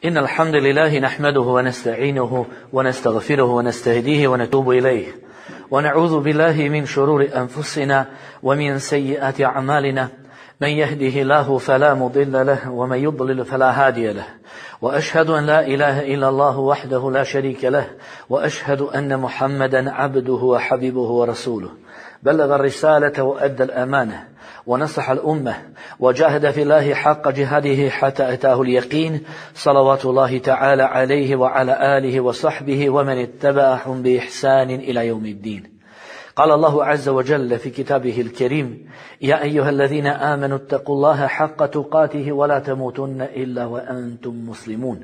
إن الحمد لله نحمده ونستعينه ونستغفره ونستهديه ونتوب إليه ونعوذ بالله من شرور أنفسنا ومن سيئات أعمالنا من يهده الله فلا مضل له ومن يضلل فلا هادي له وأشهد أن لا إله إلا الله وحده لا شريك له وأشهد أن محمدا عبده وحبيبه ورسوله بلغ الرسالة وأدى الأمانة ونصح الأمة وجاهد في الله حق جهاده حتى أتاه اليقين صلوات الله تعالى عليه وعلى آله وصحبه ومن اتبعهم بإحسان إلى يوم الدين. قال الله عز وجل في كتابه الكريم: يا أيها الذين آمنوا اتقوا الله حق تقاته ولا تموتن إلا وأنتم مسلمون.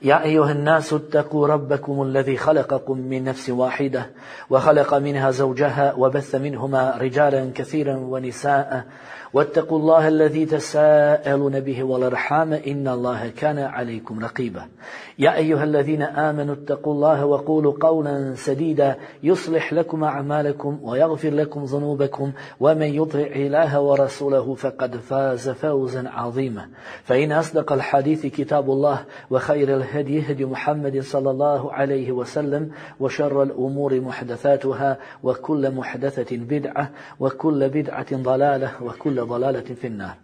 يا أيها الناس اتقوا ربكم الذي خلقكم من نفس واحدة وخلق منها زوجها وبث منهما رجالا كثيرا ونساء واتقوا الله الذي تساءلون به والأرحام إن الله كان عليكم رقيبا. يا أيها الذين آمنوا اتقوا الله وقولوا قولا سديدا يصلح لكم أعمالكم ويغفر لكم ذنوبكم ومن يطع الله ورسوله فقد فاز فوزا عظيما. فإن أصدق الحديث كتاب الله وخير الهدي هدي محمد صلى الله عليه وسلم وشر الأمور محدثاتها وكل محدثة بدعة وكل بدعة ضلالة وكل ضلالة في النار.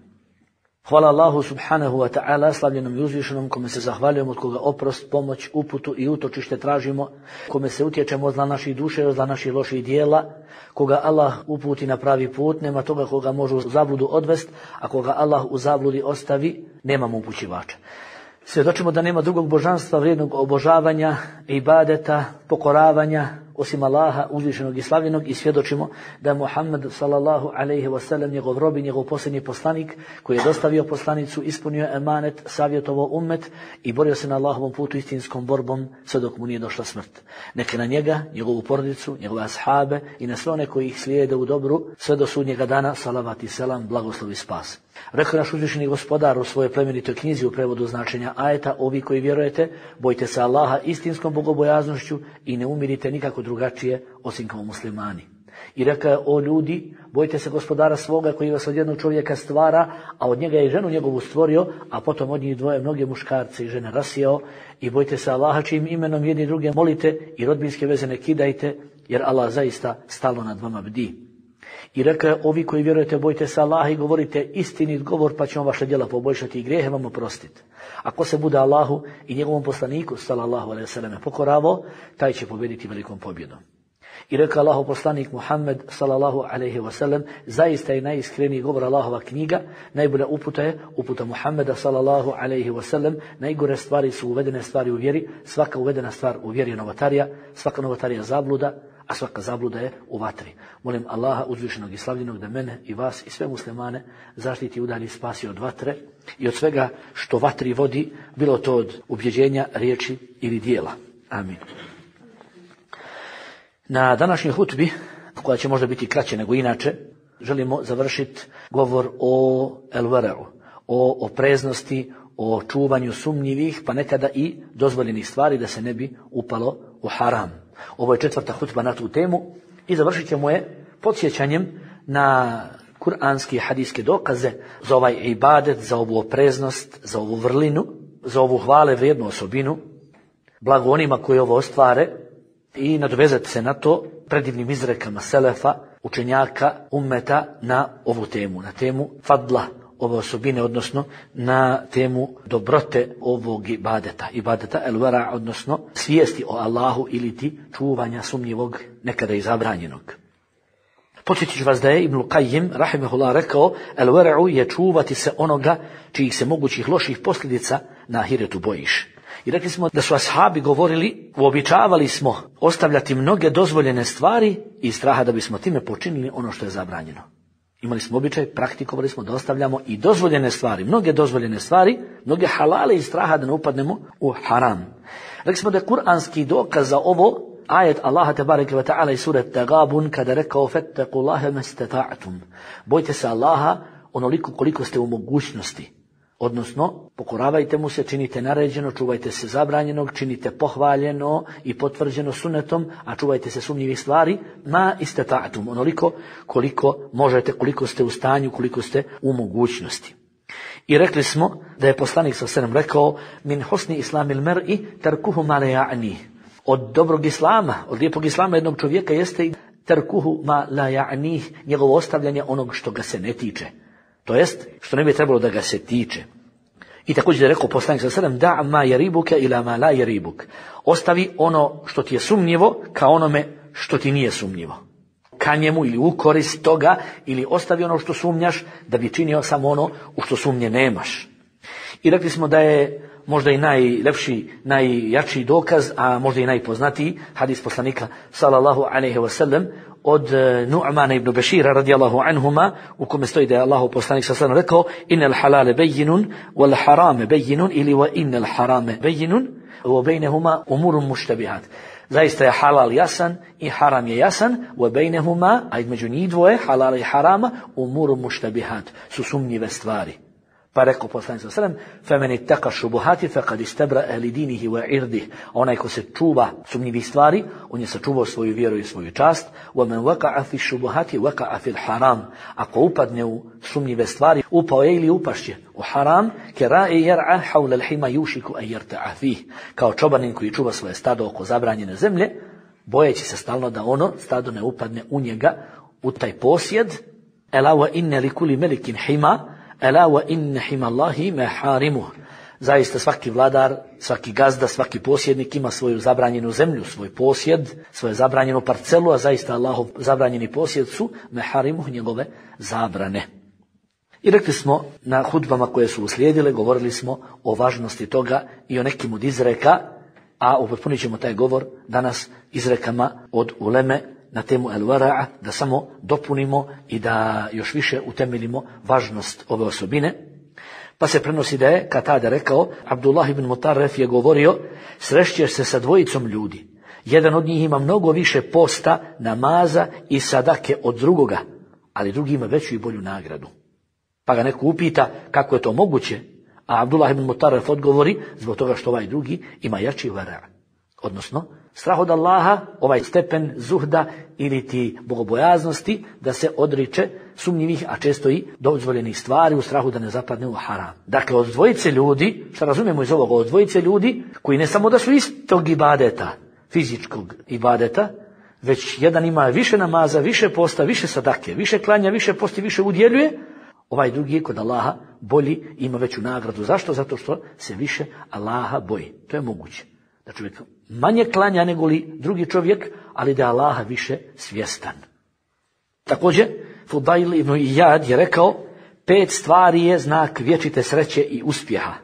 Hvala Allahu subhanahu wa ta'ala, slavljenom i uzvišenom, kome se zahvaljujemo, od koga oprost, pomoć, uputu i utočište tražimo, kome se utječemo od zla naših duše, od zla naših loših dijela, koga Allah uputi na pravi put, nema toga koga može u zabludu odvest, a koga Allah u zabludi ostavi, nemamo upućivača. Svjedočimo da nema drugog božanstva vrijednog obožavanja, ibadeta, pokoravanja, osim Allaha uzvišenog i slavljenog, i svjedočimo da je Muhammed sallallahu alejhi ve sellem njegov rob i njegov posljednji poslanik koji je dostavio poslanicu, ispunio emanet, savjetovao ummet i borio se na Allahovom putu istinskom borbom sve dok mu nije došla smrt. Neka na njega, njegovu porodicu, njegove ashabe i na sve one koji ih slijede u dobru sve do sudnjega dana, salavat i selam, blagoslov i spas. Rekao naš uzvišeni gospodar u svojoj plemenitoj knjizi u prevodu značenja ajeta: ovi koji vjerujete, bojte se Allaha istinskom bogobojaznošću i ne umirite nikako drugačije osim kao muslimani. I rekao: o ljudi, bojte se gospodara svoga koji vas od jednog čovjeka stvara, a od njega je ženu njegovu stvorio, a potom od njih dvoje mnoge muškarce i žene rasijao. I bojte se Allaha čijim imenom jedni druge molite i rodbinske veze ne kidajte, jer Allah zaista stalno nad vama bdi. I rekao: ovi koji vjerujete, bojte se Allaha i govorite istinit govor, pa će on vaša djela poboljšati i grijehe vam oprostiti. Ako se bude Allahu i njegovom poslaniku sallallahu alejhi ve selleme pokoravo, taj će pobjediti velikom pobjedom. I rekao Allahov poslanik Muhammed sallallahu alejhi ve sellem: zaista je najiskreniji govor Allahova knjiga, najbolja uputa je uputa Muhammeda sallallahu alejhi ve sellem, najgore stvari su uvedene stvari u vjeri, svaka uvedena stvar u vjeri je novotarija, svaka novotarija zabluda, a svaka zabluda je u vatri. Molim Allaha uzvišenog i slavljenog da mene i vas i sve muslimane zaštiti, udalji, spasi od vatre i od svega što vatri vodi, bilo to od ubjeđenja, riječi ili dijela. Amin. Na današnjoj hutbi, koja će možda biti kraće nego inače, želimo završiti govor o el-vera'u, o opreznosti, o čuvanju sumnjivih, pa nekada i dozvoljenih stvari da se ne bi upalo u haram. Ovo je četvrta hutba na tu temu i završit ćemo je podsjećanjem na kuranske i hadijske dokaze za ovaj ibadet, za ovu opreznost, za ovu vrlinu, za ovu hvale vrijednu osobinu, blago onima koji ovo ostvare, i nadovezati se na to predivnim izrekama selefa, učenjaka, ummeta na ovu temu, na temu fadla ove osobine, odnosno na temu dobrote ovog ibadeta el-vera, odnosno svijesti o Allahu ili ti čuvanja sumnjivog, nekada i zabranjenog. Podsjetit ću vas da je Ibn Qayyim rahimehullah rekao: el-vera'u je čuvati se onoga čijih se mogućih loših posljedica na ahiretu bojiš. I rekli smo da su ashabi govorili: uobičavali smo ostavljati mnoge dozvoljene stvari iz straha da bismo time počinili ono što je zabranjeno. Imali smo običaj, praktikovali smo da ostavljamo i dozvoljene stvari, mnoge dozvoljene stvari, mnoge halale iz straha da ne upadnemo u haram. Rekli smo da je kuranski dokaz za ovo ajet Allaha tebareke ve ta'ala iz sure Tagabun, kada rekao: fettaqullaha mastata'tum, bojte se Allaha onoliko koliko ste u mogućnosti. Odnosno, pokoravajte mu se, činite naređeno, čuvajte se zabranjenog, činite pohvaljeno i potvrđeno sunnetom, a čuvajte se sumnjivih stvari, ma istata'tum, onoliko koliko možete, koliko ste u stanju, koliko ste u mogućnosti. I rekli smo da je poslanik sallallahu alejhi ve sellem rekao: min husni islamil mar'i tarkuhu ma la ya'ni. Od dobrog islama, od lijepog islama jednog čovjeka jeste tarkuhu ma la ya'ni, njegovo ostavljanje onog što ga se ne tiče. To jest, što ne bi trebalo da ga se tiče. I također je rekao poslanik sallallahu alejhi ve sellem: da ma yaribuka ila ma la yaribuk. Ostavi ono što ti je sumnjivo ka onome što ti nije sumnjivo. Ka njemu ili u korist toga, ili ostavi ono što sumnjaš da bi činio samo ono u što sumnje nemaš. I rekli smo da je možda i najlepši, najjačiji dokaz, a možda i najpoznatiji hadis poslanika sallallahu alejhi ve sellem od Nu'mana ibn Bešira radijallahu anhuma, u kome stoji da je Allahov poslanik sallallahu alejhi ve sellem rekao: innal halale bejinun wal harame bejinun, ili wa innal harame bejinun wa bejnehuma umurun muštabihat. Zaista je halal jasan i haram je jasan, wa bejnehuma, a između njih dvoje, halala i harama, umurun muštabihat, su sumnjive stvari. Pa rekao poslanik sallallahu alejhi ve sellem: "Femen ittaqa šubuhati faqad istabra'a li dinihi wa irdihi." Onaj ko se čuva sumnjivih stvari, on je sačuvao svoju vjeru i svoju čast. "Wa man waqa'a fi šubuhati waqa'a fi al-haram." Ako upadne u sumnjive stvari, upao je ili upašće u haram, kera'i yar'a hawla al-hima yushiku an yarta'a fihi. Kao čobanin koji čuva svoje stado oko zabranjene zemlje, bojeći se stalno da ono stado ne upadne u njega, u taj posjed. "Ela wa inna li kulli malikin hima, ela wa inna himallahi maharimuh." Zaista svaki vladar, svaki gazda, svaki posjednik ima svoju zabranjenu zemlju, svoj posjed, svoju zabranjenu parcelu, a zaista Allahov zabranjeni posjed su maharimuh, njegove zabrane. I rekli smo na hudbama koje su uslijedile, govorili smo o važnosti toga i o nekim od izreka, a upotpunit ćemo taj govor danas izrekama od uleme na temu el-wara'a, da samo dopunimo i da još više utemeljimo važnost ove osobine. Pa se prenosi da je Katada rekao: Abdullah ibn Mutarref je govorio: srešćeš se sa dvojicom ljudi. Jedan od njih ima mnogo više posta, namaza i sadake od drugoga, ali drugi ima veću i bolju nagradu. Pa ga neko upita kako je to moguće, a Abdullah ibn Mutarref odgovori: zbog toga što ovaj drugi ima jači wara'. Odnosno, strah od Allaha, ovaj stepen zuhda ili ti bogobojaznosti, da se odriče sumnjivih, a često i dozvoljenih stvari u strahu da ne zapadne u haram. Dakle, od dvojice ljudi, što razumijemo iz ovoga, od dvojice ljudi koji ne samo da su istog ibadeta, fizičkog ibadeta, već jedan ima više namaza, više posta, više sadake, više klanja, više posti, više udjeljuje, ovaj drugi je kod Allaha bolji, ima veću nagradu. Zašto? Zato što se više Allaha boji. To je moguće. Da čovjek manje klanja nego li drugi čovjek, ali da je Allaha više svjestan. Također, Fudail ibn Iyad je rekao: 5 stvari je znak vječite sreće i uspjeha.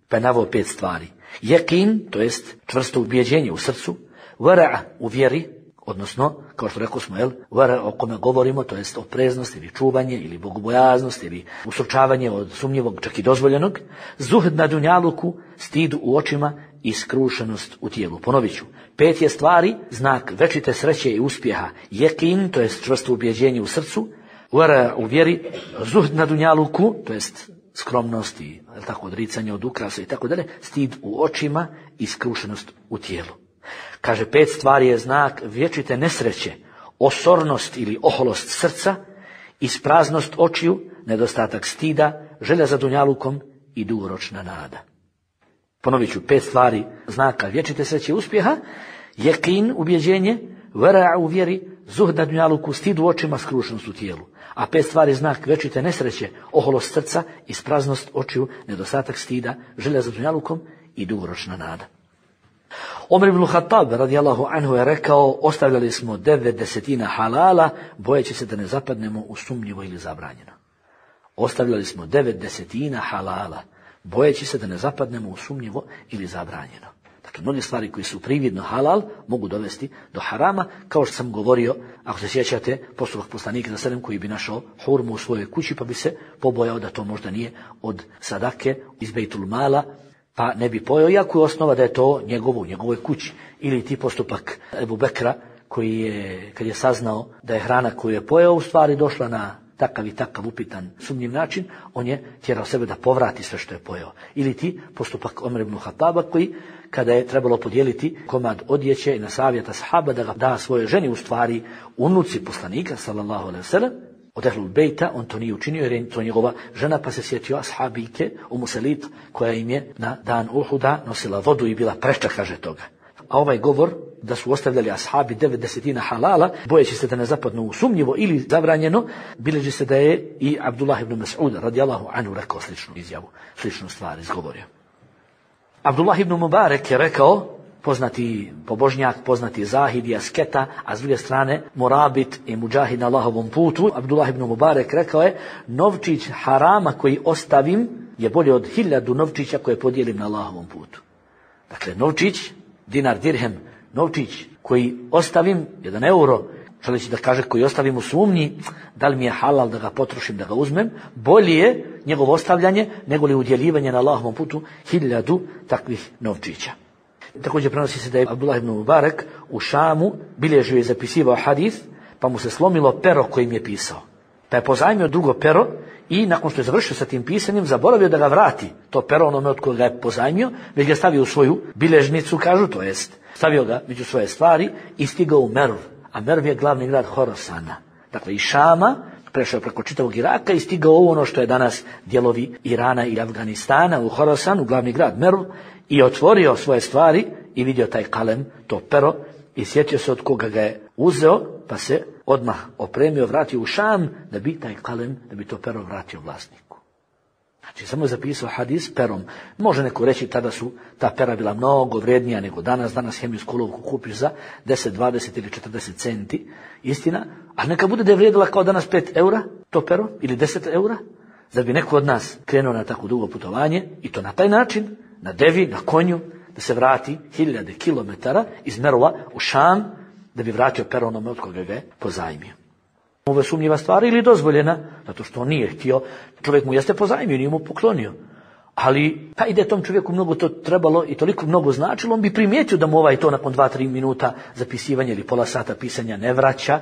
Pa je naveo 5 stvari. Jekin, to jest čvrsto ubjeđenje u srcu, wara' u vjeri, odnosno, kao što rekao smo, wara' o kome govorimo, to jest opreznost ili čuvanje ili bogobojaznost ili ustručavanje od sumnjivog, čak i dozvoljenog, zuhd na dunjaluku, stid u očima i skrušenost u tijelu. Ponovit ću, 5 je stvari znak večite sreće i uspjeha. Jekin, to jest čvrsto ubjeđenje u srcu, wara' u vjeri, zuhd na dunjaluku, to jest skromnost i tako odricanje od ukrasa i tako dalje, stid u očima i skrušenost u tijelu. Kaže, 5 stvari je znak vječite nesreće, osornost ili oholost srca, ispraznost očiju, nedostatak stida, želja za dunjalukom i dugoročna nada. Ponovit ću, 5 stvari znaka vječite sreće i uspjeha: jekin, ubjeđenje, wara' u vjeri, zuhd na dunjaluku, stid u očima, skrušenost u tijelu. A 5 stvari znak vječite nesreće, oholost srca, ispraznost očiju, nedostatak stida, želja za dunjalukom i dugoročna nada. Omer ibn Khattab radijallahu anhu je rekao: ostavljali smo 90 halala, bojeći se da ne zapadnemo u sumnjivo ili zabranjeno. Ostavljali smo 90 halala, bojeći se da ne zapadnemo u sumnjivo ili zabranjeno. Dakle, mnoge stvari koji su prividno halal mogu dovesti do harama, kao što sam govorio, ako se sjećate, postupak poslanika za selem koji bi našao hurmu u svojoj kući, pa bi se pobojao da to možda nije od sadake iz Bejtul Mala, pa ne bi pojeo, iako je osnova da je to u njegovoj kući. Ili ti postupak Ebu Bekra, koji je, kad je saznao da je hrana koju je pojeo u stvari došla na takav i takav upitan sumnjiv način, on je tjerao sebe da povrati sve što je pojeo. Ili ti postupak Omer ibn Khattaba, koji kada je trebalo podijeliti komad odjeće i na savjeta sahaba da ga da svojoj ženi, u stvari unuci poslanika sallallahu alejhi ve sellem, od Ehlul Bejta, on to nije učinio jer je to njegova žena, pa se sjetio ashabike Umu Salit, koja im je na dan Uhuda nosila vodu i bila preča, kaže toga. A ovaj govor da su ostavljali ashabi 90 halala, bojeći se da ne zapadnu u sumnjivo ili zabranjeno, bileži se da je i Abdullah ibn Mas'ud radijallahu anhu rekao sličnu izjavu, sličnu stvar izgovorio. Abdullah ibn Mubarek je rekao, poznati pobožnjak, poznati zahid i asketa, a s druge strane morabit i muđahid na Allahovom putu. Abdullah ibn Mubarek rekao je, novčić harama koji ostavim je bolje od 1000 novčića koje podijelim na Allahovom putu. Dakle, novčić, dinar, dirhem, novčić koji ostavim, 1 euro, želeći da kaže koji ostavim u sumnji, da li mi je halal da ga potrošim, da ga uzmem, bolje je njegovo ostavljanje nego li udjeljivanje na Allahovom putu 1000 takvih novčića. Također prenosi se da je Abdullah ibn Mubarek u Šamu bilježio i zapisivao hadis, pa mu se slomilo pero kojim je pisao. Pa je pozajmio drugo pero i nakon što je završio sa tim pisanjem, zaboravio da ga vrati, to pero onome od koga je pozajmio, već ga stavio u svoju bilježnicu, kažu, to jest, stavio ga među svoje stvari i stigao u Merv. A Merv je glavni grad Horasana. Dakle, iz Šama prešao preko čitavog Iraka i stigao u ono što je danas dijelovi Irana i Afganistana, u Horasanu, glavni grad Merv, i otvorio svoje stvari i vidio taj kalem, to pero, i sjetio se od koga ga je uzeo, pa se odmah opremio, vratio u Šam, da bi taj kalem, da bi to pero vratio vlasniku. Znači, samo je zapisao hadis perom. Može neko reći, tada su ta pera bila mnogo vrijednija nego danas. Danas hemijsku olovku kupiš za 10, 20 ili 40 centi. Istina, a neka bude da je vrijedila kao danas 5 eura, to pero, ili 10 eura, da bi neko od nas krenuo na tako dugo putovanje, i to na taj način, na devi, na konju, da se vrati 1000 kilometara iz Merova u Šam, da bi vratio pero onome od koga ga je pozajmio. Ovo je sumnjiva stvar ili dozvoljena, zato što on nije htio, čovjek mu jeste pozajmio, nije mu poklonio. Ali, pa ide tom čovjeku mnogo to trebalo i toliko mnogo značilo, on bi primijetio da mu ovaj to nakon 2-3 minuta zapisivanja ili pola sata pisanja ne vraća.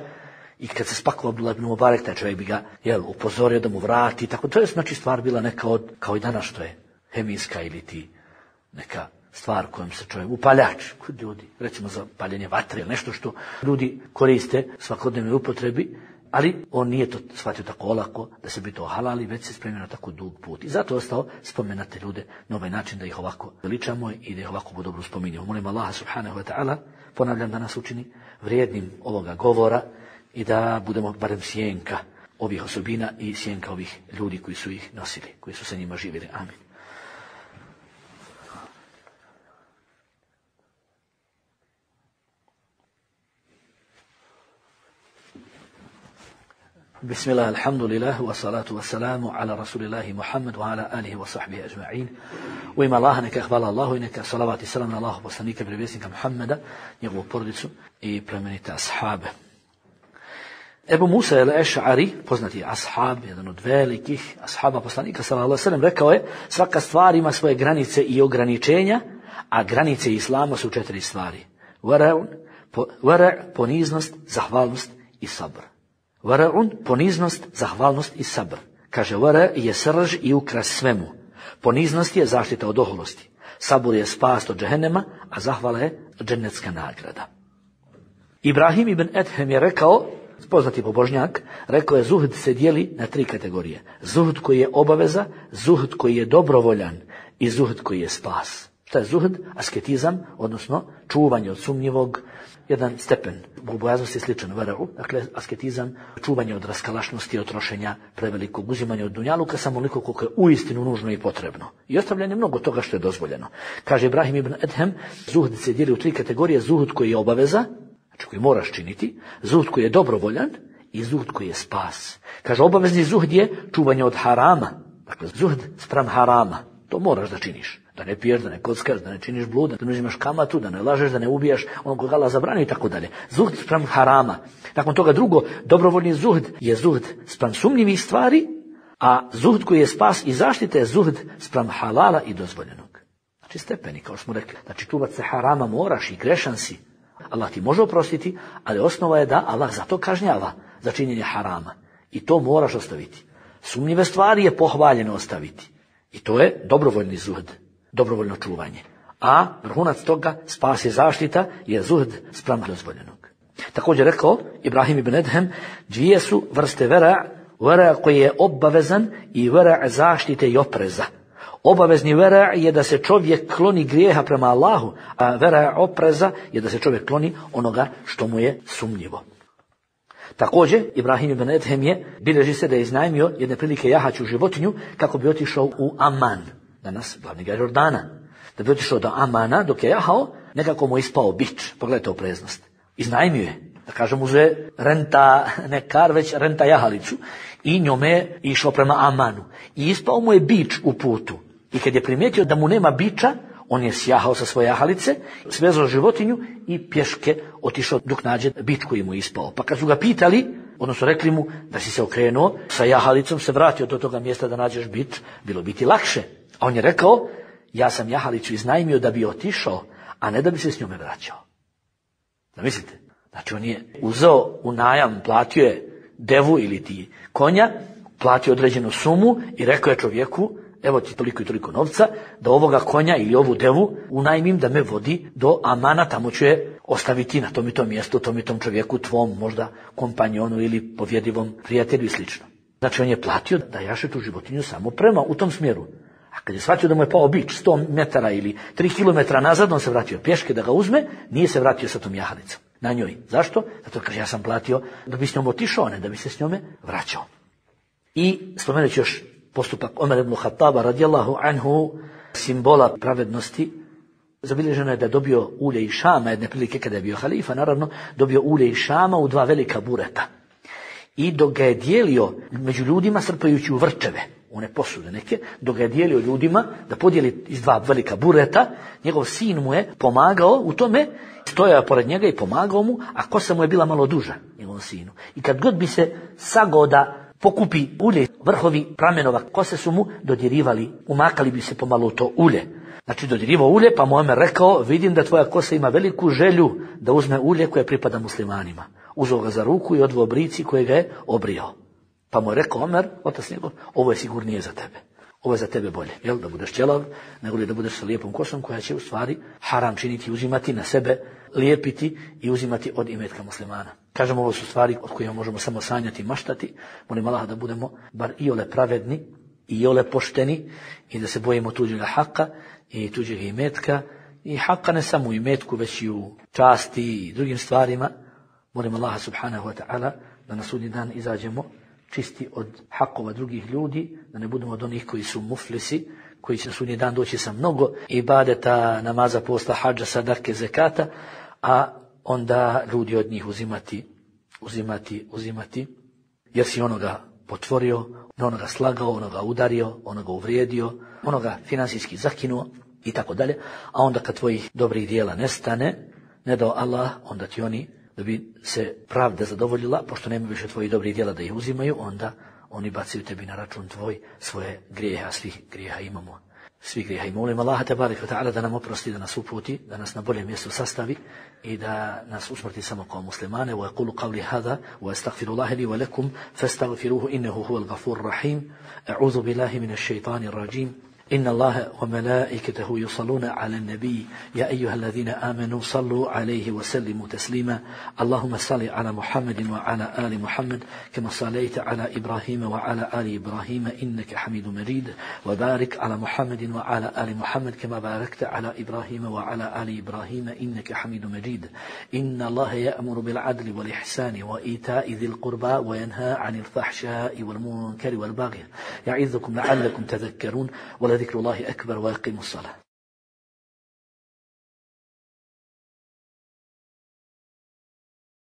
I kad se spakovao Abdullah ibn Mubarek, taj čovjek bi ga upozorio da mu vrati. Tako, to je znači stvar bila neka od, kao i danas što je hemijska ili ti neka stvar kojom se čovjek, upaljač kod ljudi, recimo za paljenje vatre ili nešto što ljudi koriste svakodnevnoj upotrebi, ali on nije to shvatio tako olako da se bi to halali, već se spremio na tako dug put. I zato je ostao spomenate ljude na ovaj način da ih ovako veličamo i da ih ovako dobro spominjamo. Molim Allaha subhanahu wa ta'ala, ponavljam, da nas učini vrijednim ovoga govora i da budemo barem sjenka ovih osobina i sjenka ovih ljudi koji su ih nosili, koji su sa njima živjeli. Amin. Bismillah, alhamdulillah, wa salatu wa salamu ala rasulillahi Muhammad wa ala alihi wa sahbihi ajma'in. U ime Allaha neka hvala Allahu i neka salavat i salam na Allahu poslanika, vjerovjesnika Muhammeda, njegovu porodicu i plemenite ashabe. Ebu Musa el-Eš'ari, poznati ashab, jedan od velikih ashaba poslanika sallallahu alejhi ve sellem, rekao je: svaka stvar ima svoje granice i ograničenja, a granice islama su 4 stvari. Wara', poniznost, zahvalnost i sabr. Wara'un, poniznost, zahvalnost i sabr. Kaže, wara' je srž i ukras svemu. Poniznost je zaštita od oholosti. Sabur je spas od džehennema, a zahvala je džennetska nagrada. Ibrahim ibn Edhem je rekao, poznati pobožnjak, rekao je: zuhd se dijeli na 3 kategorije. Zuhd koji je obaveza, zuhd koji je dobrovoljan i zuhd koji je spas. Šta je zuhd? Asketizam, odnosno čuvanje od sumnjivog, jedan stepen bogobojaznosti je sličan vera'u, dakle asketizam, čuvanje od raskalašnosti, od trošenja prevelikog, uzimanja od dunjaluka, samo onoliko koliko je uistinu nužno i potrebno. I ostavljanje mnogo toga što je dozvoljeno. Kaže Ibrahim ibn Edhem, zuhd se dijeli u 3 kategorije: zuhd koji je obaveza, znači koji moraš činiti, zuhd koji je dobrovoljan i zuhd koji je spas. Kaže, obavezni zuhd je čuvanje od harama, dakle zuhd spram harama, to moraš da činiš. Da ne piješ, da ne kockaš, da ne činiš blud, da ne uzimaš kamatu, da ne lažeš, da ne ubijaš onog koga Allah zabrani i tako dalje. Zuhd spram harama. Nakon toga drugo, dobrovoljni zuhd je zuhd spram sumnjivih stvari, a zuhd koji je spas i zaštita je zuhd spram halala i dozvoljenog. Znači stepeni, kao smo rekli. Znači čuvat se harama moraš i grešan si. Allah ti može oprostiti, ali osnova je da Allah zato kažnjava za činjenje harama. I to moraš ostaviti. Sumnjive stvari je pohvaljeno ostaviti. I to je dobrovoljni zuhd. Dobrovoljno čuvanje. A vrhunac toga, spas i zaštita, je zuhd spram dozvoljenog. Također rekao Ibrahim ibn Edhem, 2 su vrste vera Vera koji je obavezan i vera zaštite i opreza. Obavezni vera je da se čovjek kloni grijeha prema Allahu, a vera opreza je da se čovjek kloni onoga što mu je sumnjivo. Također, Ibrahim ibn Edhem bilježi se da je iznajmio jedne prilike jahaću životinju kako bi otišao u Aman, danas glavni grad Jordana. Da bi otišao do Amana, dok je jahao, nekako mu je ispao bič. Pogledajte opreznost. Iznajmio je, da kažem uzve renta, ne kar, već renta jahalicu i njome je išao prema Amanu. I ispao mu je bič u putu. I kad je primijetio da mu nema biča, on je sjahao sa svoje jahalice, svezao životinju i pješke otišao dok nađe bič koji mu je ispao. Pa kad su ga pitali, odnosno rekli mu da si se okrenuo, sa jahalicom se vratio do toga mjesta da nađeš bič, bilo bi ti lakše. A on je rekao, ja sam jahalicu iznajmio da bi otišao, a ne da bi se s njome vraćao. Da mislite? Znači on je uzeo u najam, platio je devu ili ti konja, platio određenu sumu i rekao je čovjeku, evo ti toliko i toliko novca, da ovoga konja ili ovu devu unajmim da me vodi do Amana, tamo ću je ostaviti na tom i tom mjestu, tom i tom čovjeku, tvom možda kompanjonu ili povjedivom prijatelju i slično. Znači on je platio da jaše tu životinju samo prema u tom smjeru. A kad je shvatio da mu je pao bič 100 metara ili 3 kilometra nazad, on se vratio pješke da ga uzme, nije se vratio sa tom jahalicom na njoj. Zašto? Zato kaže ja sam platio da bi s njom otišao, a ne da bi se s njome vraćao. I spomenući još postupak Omer ibn Khattaba radijallahu anhu, simbola pravednosti, zabilježeno je da je dobio ulje iz Šama, jedne prilike kada je bio halifa, naravno, dobio ulje iz Šama u 2 velika bureta. I dok ga je dijelio među ljudima, srpajući u vrčeve, one posude neke, dok ga je dijelio ljudima da podijeli iz 2 velika bureta, njegov sin mu je pomagao u tome, stojao pored njega i pomagao mu, a kosa mu je bila malo duža, njegovom sinu. I kad god bi se sagao da pokupi ulje, vrhovi pramenova kose su mu dodirivali, umakali bi se pomalo u to ulje. Znači dodirivao ulje, pa mu Omer rekao, vidim da tvoja kosa ima veliku želju da uzme ulje koje pripada muslimanima. Uzeo ga za ruku i odveo brici koje ga je obrijao. Pa mu je rekao Omer, otac njegov, ovo je sigurnije za tebe. Ovo je za tebe bolje, jel? Da budeš ćelav, nego li da budeš sa lijepom kosom koja će u stvari haram činiti, uzimati na sebe, lijepiti i uzimati od imetka muslimana. Kažemo, ovo su stvari od kojima možemo samo sanjati i maštati. Molim Allaha da budemo bar iole pravedni i iole pošteni i da se bojimo tuđega haka i tuđeg imetka. I haka ne samo u imetku, već i u časti i drugim stvarima. Molim Allaha subhanahu wa ta'ala da na sudnji dan izađemo čisti od hakova drugih ljudi, da ne budemo od onih koji su muflisi, koji će na sudnji dan doći sa mnogo ibadeta, namaza, posta, hadža, sadake, zekata, a onda ljudi od njih uzimati, jer si onoga potvorio, onoga slagao, onoga udario, onoga uvrijedio, onoga finansijski zakinuo i tako dalje. A onda kad tvojih dobrih dijela nestane, ne dao Allah, onda ti oni, da bi se pravda zadovoljila, pošto nema više tvojih dobrih djela da ih uzimaju, onda oni bacaju tebi na račun tvoj svoje grijeha, svih grijeha imamo. Svih grijeha i molim Allaha tebarek ve ta'ala da nam oprosti, da nas uputi, da nas na bolje mjesto sastavi i da nas usmrti samo kao muslimane. Wa yaqulu qawli hadha wa astaghfirullaha li wa lakum fastaghfiruhu innahu huwal ghafurur rahim. A'udhu billahi minash shaitanir rajim. إن الله وملائكته يصلون على النبي يا أيها الذين آمنوا صلوا عليه وسلموا تسليما اللهم صل على محمد وعلى آل محمد كما صليت على إبراهيم وعلى آل إبراهيم إنك حميد مجيد وبارك على محمد وعلى آل محمد كما باركت على إبراهيم وعلى آل إبراهيم إنك حميد مجيد إن الله يأمر بالعدل والإحسان وإيتاء ذي القربى وينهى عن الفحشاء والمنكر والبغي يعظكم لعلكم تذكرون ولذكر الله أكبر ويقيم الصلاة